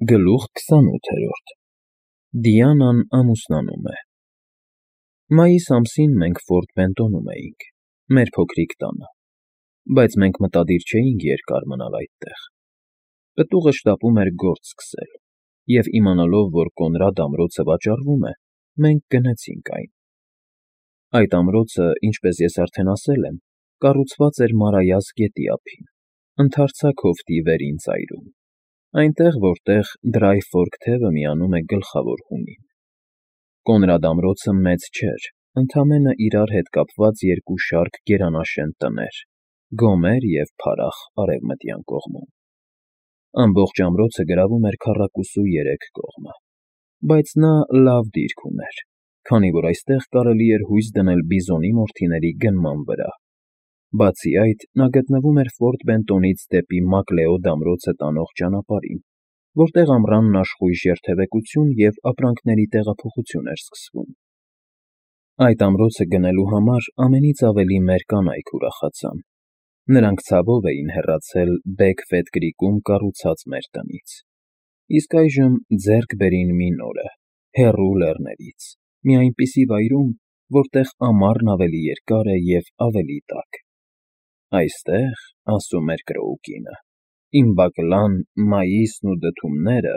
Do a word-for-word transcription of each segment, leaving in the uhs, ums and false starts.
Գլուխ քսանութերորդ Դիանան ամուսնանում է Մայիս ամսին մենք Ֆորտ Բենտոնում էինք, մեր փոքրիկ տանը, բայց մենք մտադիր չէինք երկար մնալ այդտեղ. պտուղը շտապում էր գործ սկսել, և իմանալով, որ Կոնրադ ամրոցը վաճառվում է, մենք գնեցինք այն. այդ ամրոցը, ինչպես ես արդեն ասել եմ, կառուցված էր Մարայას գետի ափին, ընդարձակ հովտի վերին ծայրում, այնտեղ, որտեղ Դրայ Ֆորք թևը միանում է Գլխավոր հունին. Կոնրադ ամրոցը մեծ չէր, ընդամենը իրար հետ կապված երկու շարք գերանաշեն տներ՝ Գոմեր և Փարախ արևմտյան կողմում. ամբողջ ամրոցը գրավում էր քառակուսու երեք կողմը, բայց նա լավ դիրք ուներ, քանի որ այստեղ կարելի էր հույս դնել բիզոնի մորթիների գնման վրա. բացի այդ, նա գտնվում էր Ֆորտ Բենտոնից դեպի Մակլեոդ ամրոցը տանող ճանապարհին, որտեղ ամռանն աշխույժ երթևեկություն և ապրանքների տեղափոխություն էր սկսվում. Այդ ամրոցը գնելու համար ամենից ավելի մեր կանայք ուրախացան. նրանք ցավով էին հեռացել Բեքֆեթ Կրիկում կառուցած մեր տնից, իսկ այժմ ձեռք բերին մի նորը, հեռու լեռներից, մի այնպիսի վայրում, որտեղ ամառն ավելի երկար է և ավելի տաք. «Այստեղ, — ասում էր Կրոուկինը, — իմ բակլան, մայիսն ու դդումները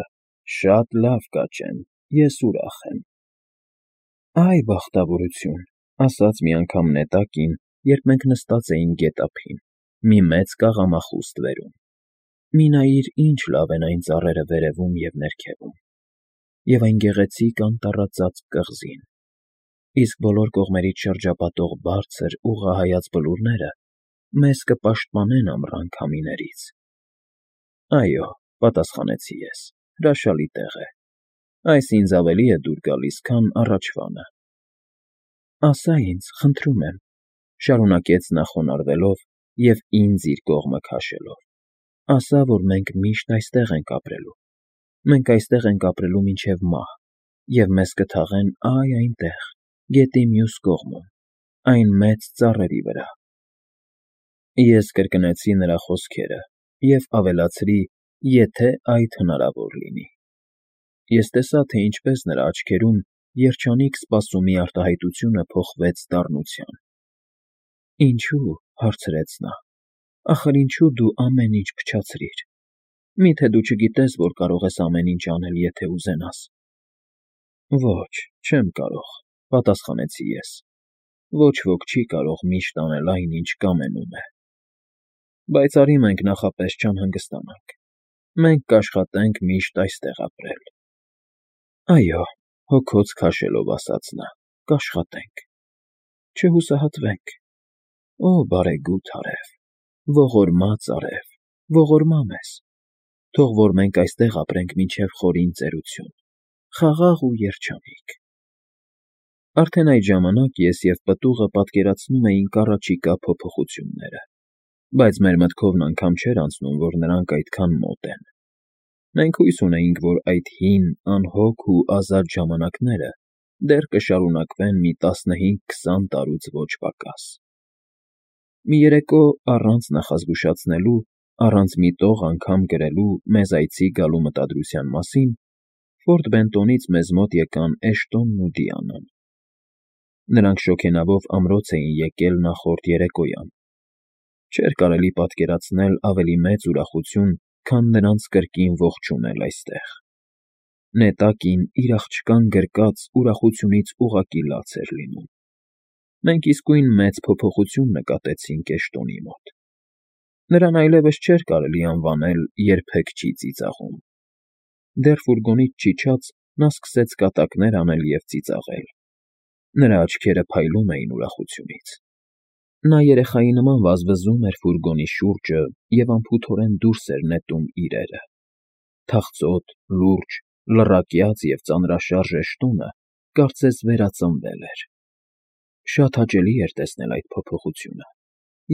շատ լավ կաճեն, ես ուրախ եմ»։ «Այ բախտավորություն», — ասաց մի անգամ նետակին, երբ մենք նստած էինք գետափին, մի մեծ կաղամախուստ վերում, «մի նայիր, ինչ լավ են այն ծառերը վերևում և ներքևում, և այն գեղեցիկ անտառածածկ կղզին, իսկ բոլոր կողմերից շրջապատող բարձր, ուղղահայաց բլուրները մեզ կպաշտպանեն ամռան քամիներից»։ «Այո,— պատասխանեցի ես,— հրաշալի տեղ է, այս ինձ ավելի է դուր գալիս, քան առաջվանը»։ «Ասա ինձ, խնդրում եմ,— շարունակեց նա խոնարհվելով և ինձ իր կողմը քաշելով,— ասա, որ մենք միշտ այստեղ ենք ապրելու, մենք այստեղ ենք ապրելու մինչև մահ, և մեզ կթաղեն այ այնտեղ, գետի մյուս կողմում, այն մեծ ծառերի վրա»։ Ես կրկնեցի նրա խոսքերը և ավելացրի. «եթե այդ հնարավոր լինի»։ Ես տեսա, թե ինչպես նրա աչքերում երջանիկ սպասումի արտահայտությունը փոխվեց դառնության։ «Ինչո՞ւ,— հարցրեց նա,— ախր ինչու դու ամեն ինչ փչացրիր։ Մի՞թե դու չգիտես, որ կարող ես ամեն ինչ անել, եթե ուզենաս»։ «Ոչ, չեմ կարող,— պատասխանեցի ես,֊ ոչ ոք չի կարող միշտ անել այն, ինչ կամենում է։ Բայց արի մենք նախապես չանհանգստանանք, մենք կաշխատենք միշտ այստեղ ապրել»։ «Այո,— հոգոց քաշելով ասաց նա,— կաշխատենք, չհուսահատվենք։ Օ բարեգութ արև, ողորմած արև, ողորմա մեզ, թող որ մենք այստեղ ապրենք մինչև խորին ծերություն, խաղաղ ու երջանիկ»։ Արդեն այդ ժամանակ ես և պտուղը պատկերացնում էինք առաջիկա փոփոխությունները, բայց մեր մտքովն անգամ չէր անցնում, որ նրանք այդքան մոտ են։ Մենք հույս ունեինք, որ այդ հին, անհոգ ու ազատ ժամանակները դեռ կշարունակվեն մի տասնհինգ֊քսան տարուց ոչ պակաս։ Մի երեկո, առանց նախազգուշացնելու, առանց մի տող անգամ գրելու մեզ այցի գալու մտադրության մասին, Ֆորտ Բենտոնից մեզ մոտ եկան Էշտոնն ու Դիանան։ Նրանք շոգենավով ամրոց էին եկել նախորդ երեկոյան. չէր կարելի պատկերացնել ավելի մեծ ուրախություն, քան նրանց կրկին ողջունել այստեղ։ Նետակին իր աղջկան գրկած ուրախությունից ուղղակի լաց էր լինում։ Մենք իսկույն մեծ փոփոխություն նկատեցինք Էշտոնի մոտ։ Նրան այլևս չէր կարելի անվանել երբեք չի ծիծաղում։ Դեռ ֆուրգոնից չիջած նա սկսեց կատակներ անել և ծիծաղել։ Նրա աչքերը փայլում էին ուրախությունից։ Նա երեխայի նման վազվզում էր ֆուրգոնի շուրջը և անփութորեն դուրս էր նետում իրերը։ Թախծոտ, լուրջ, լռակյաց և ծանրաշարժ Էշտոնը կարծես վերածնվել էր։ Շատ հաճելի էր տեսնել այդ փոփոխությունը,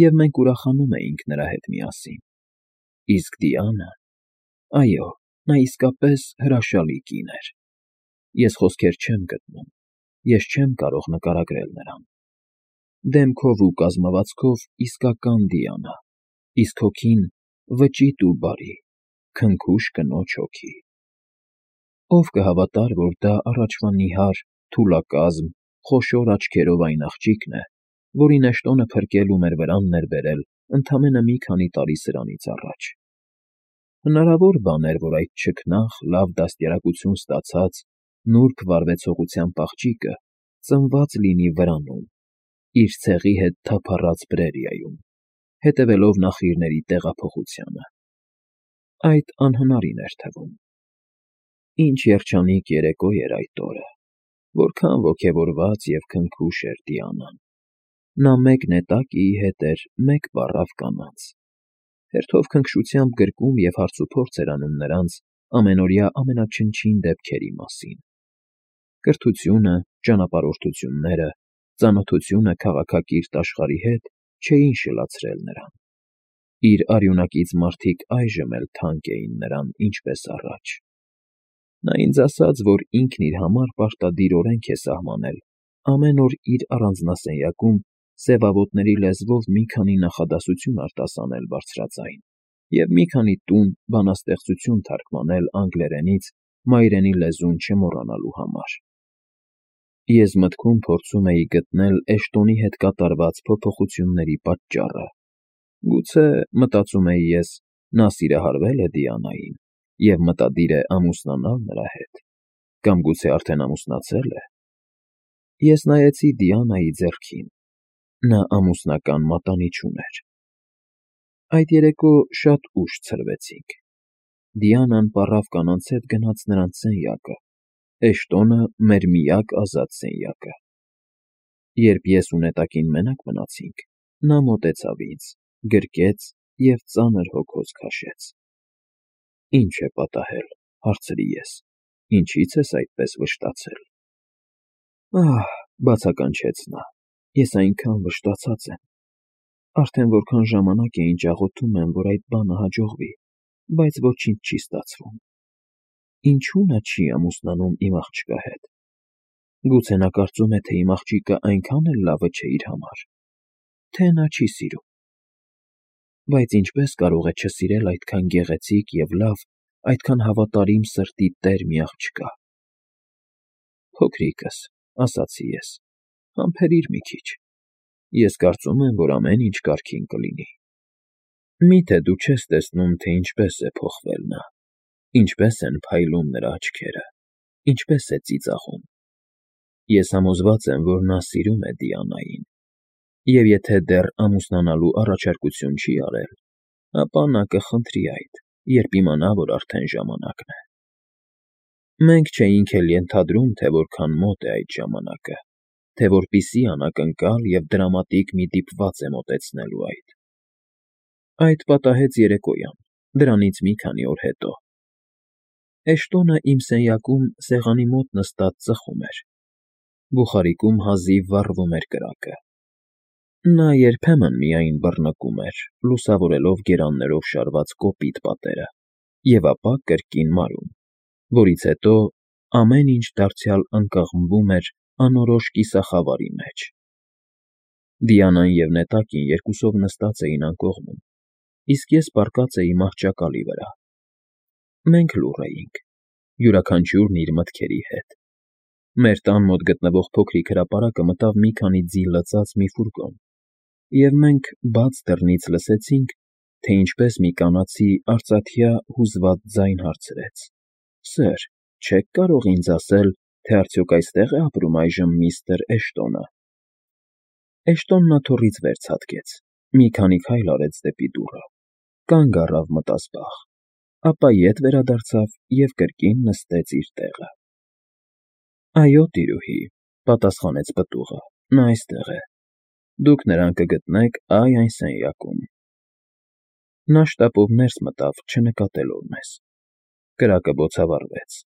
և մենք ուրախանում էինք նրա հետ միասին։ Իսկ Դիանան… այո, նա իսկապես հրաշալի կին էր։ Ես խոսքեր չեմ գտնում, ես չեմ կարող նկարագրել նրան։ Դեմքով ու կազմվածքով իսկական Դիանա, իսկ հոգին՝ վճիտ ու բարի, քնքուշ կնոջ հոգի։ Ով կհավատար, որ դա առաջվա նիհար, թուլակազմ, խոշոր աչքերով այն աղջիկն է, որին Էշտոնը փրկել ու մեր վրան էր բերել ընդամենը մի քանի տարի սրանից առաջ։ Հնարավոր բան էր, որ այդ չքնաղ, լավ դաստիարակություն ստացած, նուրբ վարվեցողությամբ աղջիկը ծնված լինի վրանում, իր ցեղի հետ թափառած Պրերիայում, հետևելով նախնիների տեղափոխությանը։ Այդ անհնարին էր թվում։ Ինչ երջանիկ երեկո էր այդ օրը, որքան ոգևորված և քնքուշ էր Դիանան։ Նա մեկ նետակիի հետ էր մեկ պառավ կանանց, հերթով քնքշությամբ գրկում և հարցուփորձ էր անում նրանց ամենօրյա ամենաչնչին դեպքերի մասին. կրթությունը, ճանապարհորդությունները, ծանոթությունը քաղաքակիրթ աշխարհի հետ չէին շլացրել նրան։ Իր արյունակից մարդիկ այժմ էլ թանկ էին նրան ինչպես առաջ։ Նա ինձ ասաց, որ ինքն իր համար պարտադիր օրենք է սահմանել ամեն օր իր առանձնասենյակում սևավոտների լեզվով մի քանի նախադասություն արտասանել բարձրաձայն և մի քանի տուն բանաստեղծություն թարգմանել անգլերենից մայրենի լեզուն չմոռանալու համար։ Ես մտքում փորձում էի գտնել Էշտոնի հետ կատարված փոփոխությունների պատճառը։ Գուցե, մտածում էի ես, նա սիրահարվել է Դիանային և մտադիր է ամուսնանալ նրա հետ, կամ գուցե արդեն ամուսնացել է։ Ես նայեցի Դիանայի ձեռքին. նա ամուսնական մատանի չուներ։ Այդ երեկո շատ ուշ ցրվեցինք։ Դիանան պառավ կանանց հետ գնաց նրանց սենյակը, Էշտոնը մեր միակ ազատ սենյակը։ Երբ ես ու նետակին մենակ մնացինք, նա մոտեցավ ինձ, գրկեց և ծանր հոգոց քաշեց։ Ի՞նչ է պատահել, հարցրի ես, ինչի՞ց ես այդպես վշտացել։ Ահ, բացականչեց նա, ես այնքան վշտացած եմ։ Արդեն որքան ժամանակ է ինչ աղոթում եմ, որ այդ բանը հաջողվի, բայց ոչինչ չի ստացվում։ Ինչո՞ւ նա չի ամուսնանում իմ աղջկա հետ։ Գուցե նա կարծում է, թե իմ աղջիկը այնքան էլ լավը չէ իր համար, թե նա չի սիրում։ Բայց ինչպե՞ս կարող է չսիրել այդքան գեղեցիկ և լավ, այդքան հավատարիմ սրտի տեր մի աղջկա։ Փոքրիկս, ասացի ես, համբերիր մի քիչ։ Ես կարծում եմ, որ ամեն ինչ կարգին կլինի։ Մի՞թե դու չես տեսնում, թե ինչպես է փոխվել նա, ինչպես են փայլում նրա աչքերը, ինչպես է ծիծաղում։ Ես համոզված եմ, որ նա սիրում է Դիանային, և եթե դեռ ամուսնանալու առաջարկություն չի արել, ապա նա կխնդրի այդ, երբ իմանա, որ արդեն ժամանակն է։ Մենք չէինք էլ ենթադրում, թե որքան մոտ է այդ ժամանակը, թե որպիսի անակնկալ և դրամատիկ մի դիպված է մոտեցնելու այդ։ Այդ պատահեց երեկոյան, դրանից մի քանի օր հետո։ Էշտոնը իմ սենյակում սեղանի մոտ նստած ծխում էր։ Բուխարիկում հազիվ վառվում էր կրակը։ Նա երբեմն միայն բռնկում էր, լուսավորելով գերաններով շարված կոպիտ պատերը, և ապա կրկին մարում, որից հետո ամեն ինչ դարձյալ ընկղմվում էր անորոշ կիսախավարի մեջ։ Դիանան և նետակին երկուսով նստած էին անկողնում, իսկ ես պառկած էի մահճակալի վրա։ Մենք լուռ էինք, յուրաքանչյուրն իր մտքերի հետ։ Մեր տան մոտ գտնվող փոքրիկ հրապարակը մտավ մի քանի ձի լցած մի ֆուրգոն, և մենք բաց դռնից լսեցինք, թե ինչպես մի կանացի արծաթյա հուզված ձայն հարցրեց. «Սըր, չե՞ք կարող ինձ ասել, թե արդյոք այստե՞ղ է ապրում այժմ միստր Էշտոնը»։ Էշտոնն աթոռից վեր ցատկեց, մի քանի քայլ արեց դեպի դուռը, կանգ առավ մտազբաղ, ապա ետ վերադարձավ և կրկին նստեց իր տեղը։ Այո, տիրուհի, պատասխանեց պտուղը, նա այստեղ է։ Դուք նրան կգտնեք այ այն սենյակում։ Նա շտապով ներս մտավ, չնկատելով մեզ։ Կրակը բոցավառվեց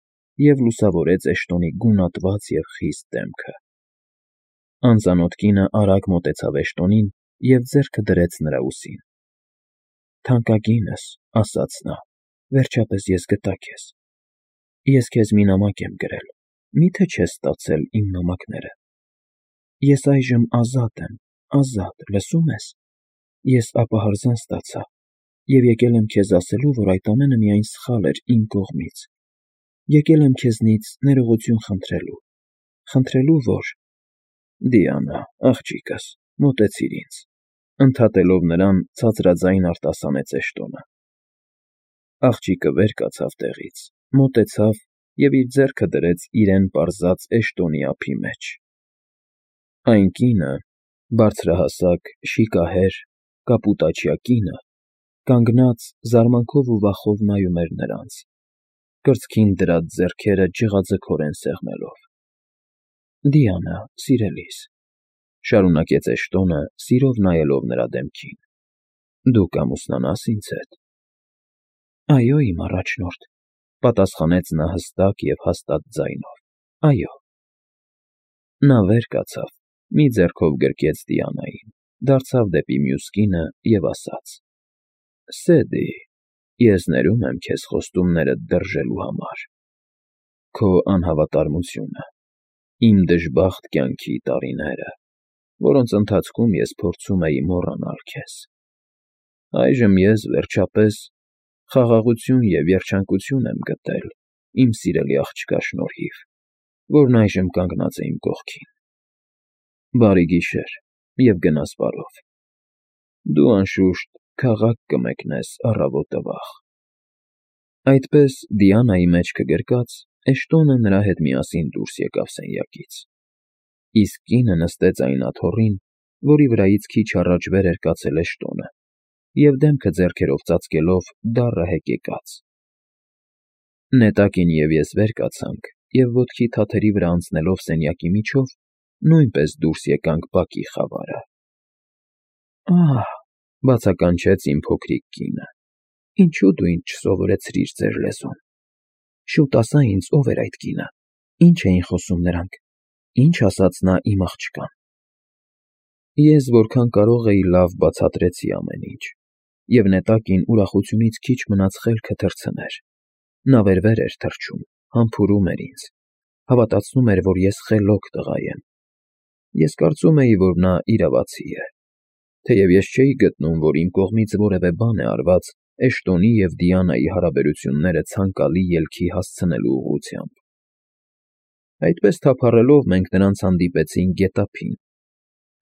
և լուսավորեց Էշտոնի գունատված և խիստ դեմքը։ Անծանոթ կինը արագ մոտեցավ Էշտոնին և ձեռքը դրեց նրա ուսին։ Թանկագինս, ասաց նա, վերջապես ես գտա քեզ։ Ես քեզ մի նամակ եմ գրել, մի՞թե չես ստացել իմ նամակները։ Ես այժմ ազատ եմ, ազատ, լսո՞ւմ ես։ Ես ապահարզան ստացա և եկել եմ քեզ ասելու, որ այդ ամենը միայն սխալ էր իմ կողմից։ եկել եմ քեզնից ներողություն խնդրելու, խնդրելու, որ… Դիանա, աղջիկս, մոտեցիր ինձ, ընդհատելով նրան, ցածրաձայն արտասանեց Էշտոնը։ Աղջիկը վեր կացավ տեղից, մոտեցավ և իր ձեռքը դրեց իրեն պարզած Էշտոնի ափի մեջ։ Այն կինը, բարձրահասակ, շիկահեր, կապուտաչյա կինը, կանգնած զարմանքով ու վախով նայում էր նրանց, կրծքին դրած ձեռքերը ջղաձգորեն սեղմելով։ ֊ Դիանա, սիրելիս,֊ շարունակեց Էշտոնը, սիրով նայելով նրա դեմքին,֊ դու կամուսնանա՞ս ինձ հետ։ ֊ Այո, իմ առաջնորդ,֊ պատասխանեց նա հստակ և հաստատ ձայնով,֊ այո։ Նա վեր կացավ, մի ձեռքով գրկեց Դիանային, դարձավ դեպի մյուս կինը և ասաց. «Սեդի, ես ներում եմ քեզ խոստումներդ դրժելու համար, քո անհավատարմությունը, իմ դժբախտ կյանքի տարիները, որոնց ընթացքում ես փորձում էի մոռանալ քեզ։ Այժմ ես, վերջապես, խաղաղություն և երջանկություն եմ գտել իմ սիրելի աղջկա շնորհիվ, որն այժմ կանգնած է իմ կողքին։ Բարի գիշեր և գնաս բարով։ Դու, անշուշտ, քաղաք կմեկնես առավոտը վաղ»։ Այդպես, Դիանայի մեջքը գրկած, Էշտոնը նրա հետ միասին դուրս եկավ սենյակից, իսկ կինը նստեց այն աթոռին, որի վրայից քիչ առաջ վեր էր կացել Էշտոնը, և դեմքը ձեռքերով ծածկելով դառը հեկեկաց։ Նետակին և ես վեր կացանք և ոտքի թաթերի վրա անցնելով սենյակի միջով, նույնպես դուրս եկանք բակի խավարը։ ֊ Ա՜հ,֊ բացականչեց իմ փոքրիկ կինը,֊ ինչո՞ւ դու ինձ չսովորեցրիր ձեր լեզուն։ Շուտ ասա ինձ, ով էր այդ կինը, ինչ էին խոսում նրանք, ինչ ասաց նա իմ աղջկան։ Ես որքան կարող էի լավ բացատրեցի ամեն ինչ, և նետակին ուրախությունից քիչ մնաց խելքը թռցներ. նա վեր֊վեր էր թռչում, համբուրում էր ինձ, հավատացնում էր, որ ես խելոք տղա եմ։ Ես կարծում էի, որ նա իրավացի է, թեև ես չէի գտնում, որ իմ կողմից որևէ բան է արված Էշտոնի և Դիանայի հարաբերությունները ցանկալի ելքի հասցնելու ուղղությամբ։ Այդպես թափառելով մենք նրանց հանդիպեցինք գետափին.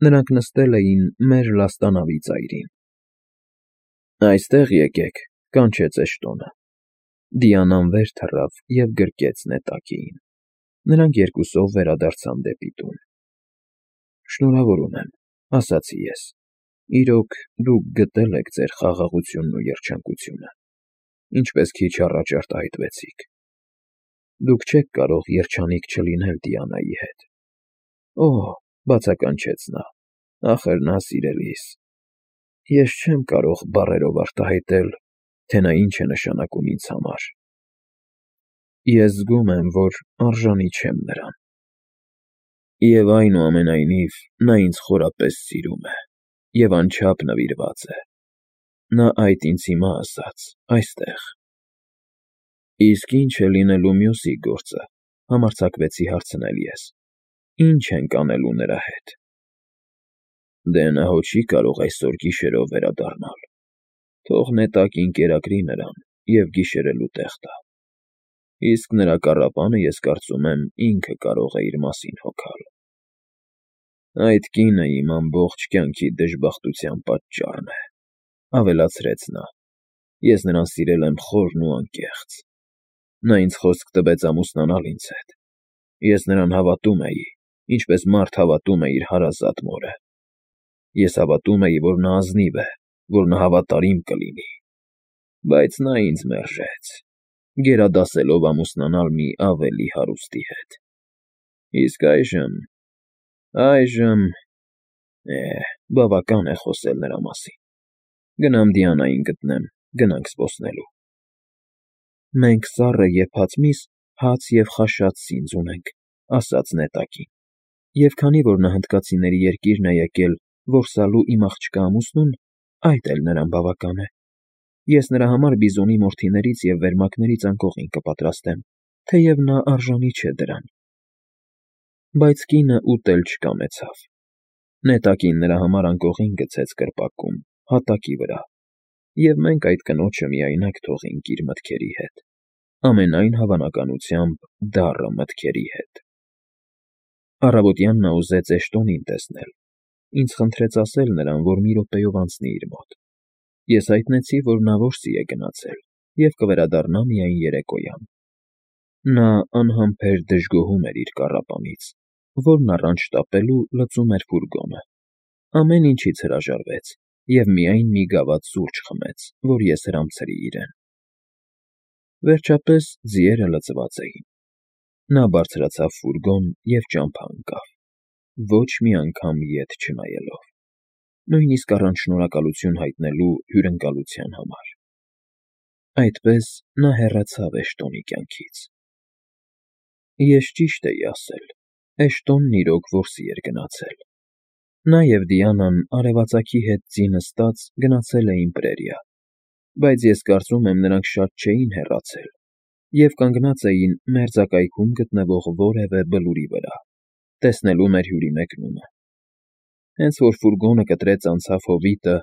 նրանք նստել էին մեր լաստանավի ծայրին։ ֊ Այստեղ եկեք,֊ կանչեց Էշտոնը։ Դիանան վեր թռավ և գրկեց նետակին։ Նրանք երկուսով վերադարձան դեպի տուն։ ֊ Շնորհավորում եմ,֊ ասացի ես, իրոք, դուք գտել եք ձեր խաղաղությունն ու երջանկությունը, ինչպես քիչ առաջ արտահայտվեցիք։ Դուք չեք կարող երջանիկ չլինել Դիանայի հետ։ ֊ Օ՜, բացականչեց նա, ախր նա սիրելիս… Ես չեմ կարող բառերով արտահայտել, թե նա ինչ է նշանակում ինձ համար։ Ես զգում եմ, որ արժանի չեմ նրան։ Եվ, այնուամենայնիվ, նա ինձ խորապես սիրում է և անչափ նվիրված է։ Նա այդ ինձ հիմա ասաց, այստեղ։ ֊ Իսկ ի՞նչ է լինելու մյուսի գործը,֊ համարձակվեցի հարցնել ես, ֊ ի՞նչ ենք անելու նրա հետ։ ֊ Դե նա հո չի կարող այսօր գիշերով վերադառնալ, թող նետակին կերակրի նրան և գիշերելու տեղ տա, իսկ նրա կառապանը, ես կարծում եմ, ինքը կարող է իր մասին հոգալ։ Այդ կինը իմ ամբողջ կյանքի դժբախտության պատճառն է,֊ ավելացրեց նա,֊ ես նրան սիրել եմ խորն ու անկեղծ։ Նա ինձ խոսք տվեց ամուսնանալ ինձ հետ։ Ես նրան հավատում էի, ինչպես մարդ հավատում է իր հարազատ մորը։ Ես հավատում էի, որ նա ազնիվ է, որ նա հավատարիմ կլինի։ Բայց նա ինձ մերժեց, գերադասելով ամուսնանալ մի ավելի հարուստի հետ։ Իսկ այժմ… այժմ… Է՜, բավական է խոսել նրա մասին։ Գնամ Դիանային գտնեմ, գնանք զբոսնելու։ ֊ Մենք սառը եփած միս, հաց և խաշած սինձ ունենք,֊ ասաց նետակին, և քանի որ նա հնդկացիների երկիրն է եկել որսալու իմ աղջկա ամուսնուն, այդ էլ նրան բավական է։ Ես նրա համար բիզոնի մորթիներից և վերմակներից անկողին կպատրաստեմ, թեև նա արժանի չէ դրան։ Բայց կինը ուտել չկամեցավ։ Նետակին նրա համար անկողին գցեց կրպակում, հատակի վրա, և մենք այդ կնոջը միայնակ թողինք իր մտքերի հետ։ ամենայն հավանականությամբ դառը մտքերի հետ։ Առավոտյան նա ուզեց Էշտոնին տեսնել, ինձ խնդրեց ասել նրան, որ մի րոպեով անցնի իր մոտ։ Ես հայտնեցի, որ նա որսի է գնացել և կվերադառնա միայն երեկոյան։ Նա անհամբեր դժգոհում էր իր կառապանից, որն առանց շտապելու լուծում էր ֆուրգոնը, ամեն ինչից հրաժարվեց և միայն մի գավաթ սուրճ խմեց, որ ես հրամցրի իրեն։ Վերջապես ձիերը լցված էին։ Նա բարձրացավ ֆուրգոն և ճամփա ընկավ, ոչ մի անգամ ետ չնայելով, նույնիսկ առանց շնորհակալություն հայտնելու հյուրընկալության համար։ Այդպես նա հեռացավ Էշտոնի կյանքից։ Ես ճիշտ էի ասել, Էշտոնն իրոք որսի էր գնացել։ Նա և Դիանան արևածագի հետ ձի նստած գնացել էին պրերիա, բայց ես կարծում եմ նրանք շատ չէին հեռացել և կանգնած էին մերձակայքում գտնվող որևէ բլուրի վրա, տեսնելու մեր հյուրի մեկնումը։ Հենց որ ֆուրգոնը կտրեց անցավ հովիտը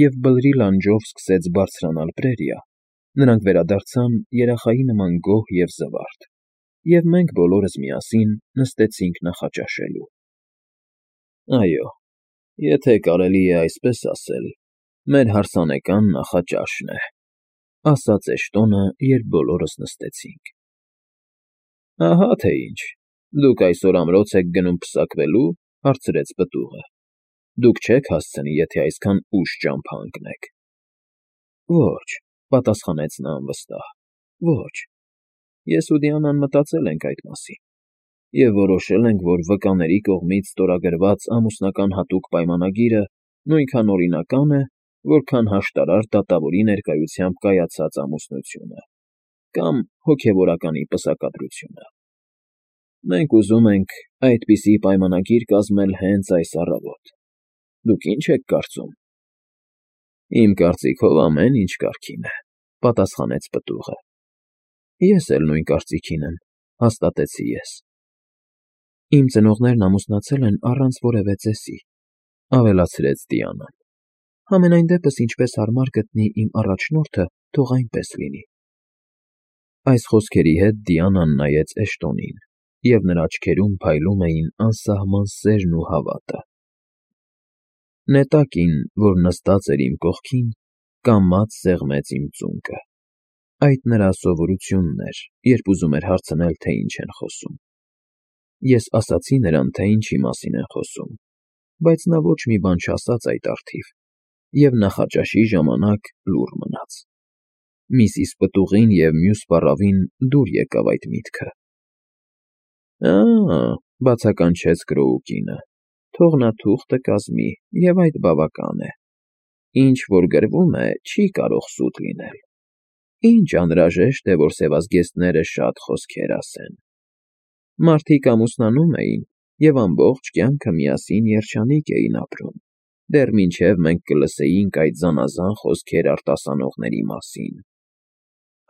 և բլրի լանջով սկսեց բարձրանալ պրերիա, նրանք վերադարձան երախայի նման գոհ և զվարթ, և մենք բոլորս միասին նստեցինք նախաճաշելու։ Այո, եթե կարելի է այսպես ասել, մեր հարսանեկան նախաճաշն է, ասաց Էշտոնը, երբ բոլորս նստեցինք։ Ահա թե ինչ, դուք այսօր ամրոց եք գնում պսակվելու, հարցրեց պտուղը։ Դուք չեք հասցնի, եթե այսքան ուշ ճամփա ընկնեք։ Ոչ, պատասխանեց նա անվստահ, ոչ։ Ես ու Դիանան մտածել ենք այդ մասին և որոշել ենք, որ վկաների կողմից ստորագրված ամուսնական հատուկ պայմանագիրը նույնքան օրինական է, որքան հաշտարար դատավորի ներկայությամբ կայացած ամուսնությունը կամ հոգևորականի պսակադրությունը։ Մենք ուզում ենք այդպիսի պայմանագիր կազմել հենց այս առավոտ։ Դուք ի՞նչ եք կարծում։ Իմ կարծիքով ամեն ինչ կարգին է, պատասխանեց պտուղը։ Ես էլ նույն կարծիքին եմ, հաստատեցի ես։ Իմ ծնողներն ամուսնացել են առանց որևէ ծեսի, ավելացրեց Դիանան։ Համենայն դեպս ինչպես հարմար գտնի իմ առաջնորդը, թող այնպես լինի։ Այս խոսքերի հետ Դիանան նայեց Էշտոնին, և նրա աչքերում փայլում էին անսահման սերն ու հավատը։ Նետակին, որ նստած էր իմ կողքին, կամաց սեղմեց իմ ծունկը։ Այդ նրա սովորությունն էր, երբ ուզում էր հարցնել, թե ինչ են խոսում։ Ես ասացի նրան, թե ինչի մասին են խոսում, բայց նա ոչ մի բան չասաց այդ առթիվ և նախաճաշի ժամանակ լուռ մնաց։ Միսիս պտուղին և մյուս պառավին դուր եկավ այդ միտքը։ Ա՜, բացականչեց Կրոուկինը, թող նա թուղթը կազմի, և այդ բավական է։ Ինչ որ գրվում է, չի կարող սուտ լինել։ Ինչ անհրաժեշտ է, որ սևազգեստները շատ խոսքեր ասեն։ Մարդիկ ամուսնանում էին և ամբողջ կյանքը միասին երջանիկ էին ապրում, դեռ մինչև մենք կլսեինք այդ զանազան խոսքեր արտասանողների մասին։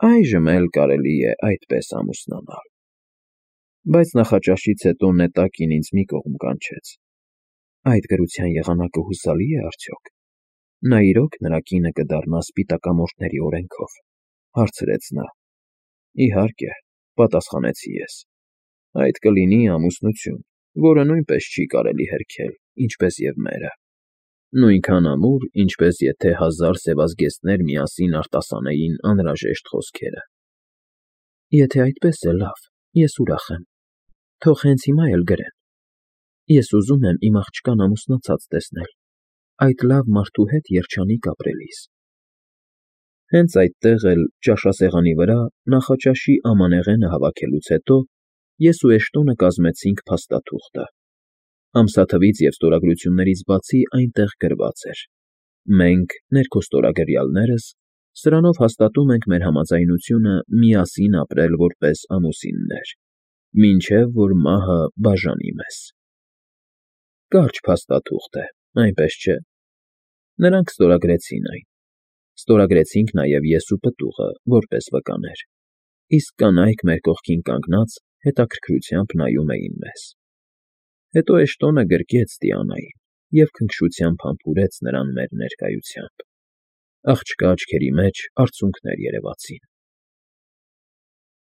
Այժմ էլ կարելի է այդպես ամուսնանալ։ Բայց նախաճաշից հետո Նետակին ինձ մի կողմ կանչեց։ Այդ գրության եղանակը հուսալի՞ է արդյոք։ Նա իրոք նրա կինը կդառնա սպիտակամորթների օրենքով, հարցրեց նա։ Իհարկե, պատասխանեցի ես։ Այդ կլինի ամուսնություն, որը նույնպես չի կարելի հերքել, ինչպես և մերը։ Նույնքան ամուր, ինչպես եթե հազար սևազգեստներ միասին արտասանեին անհրաժեշտ խոսքերը։ Եթե այդպես է, լավ, ես ուրախ եմ։ Թող հենց հիմա էլ գրեն։ Ես ուզում եմ իմ աղջկան ամուսնացած տեսնել, այդ լավ մարդու հետ երջանիկ ապրելիս։ Հենց այդտեղ էլ, ճաշասեղանի վրա, նախաճաշի ամանեղենը հավաքելուց հետո, ես ու Էշտոնը կազմեցինք փաստաթուղթը։ Ամսաթվից և ստորագրություններից բացի այնտեղ գրված էր. Մենք, ներքոստորագրյալներս, սրանով հաստատում ենք մեր համաձայնությունը միասին ապրել որպես ամուսիններ, մինչև որ մահը բաժանի մեզ։ Կարճ փաստաթուղթ է, այնպես չէ։ Նրանք ստորագրեցին այն։ Ստորագրեցինք նաև ես ու պտուղը, որպես վկաներ, իսկ կանայք մեր կողքին կանգնած հետաքրքրությամբ նայում էին մեզ։ Հետո Էշտոնը գրկեց Դիանային և քնքշությամբ համբուրեց նրան մեր ներկայությամբ։ Աղջկա աչքերի մեջ արցունքներ երևացին։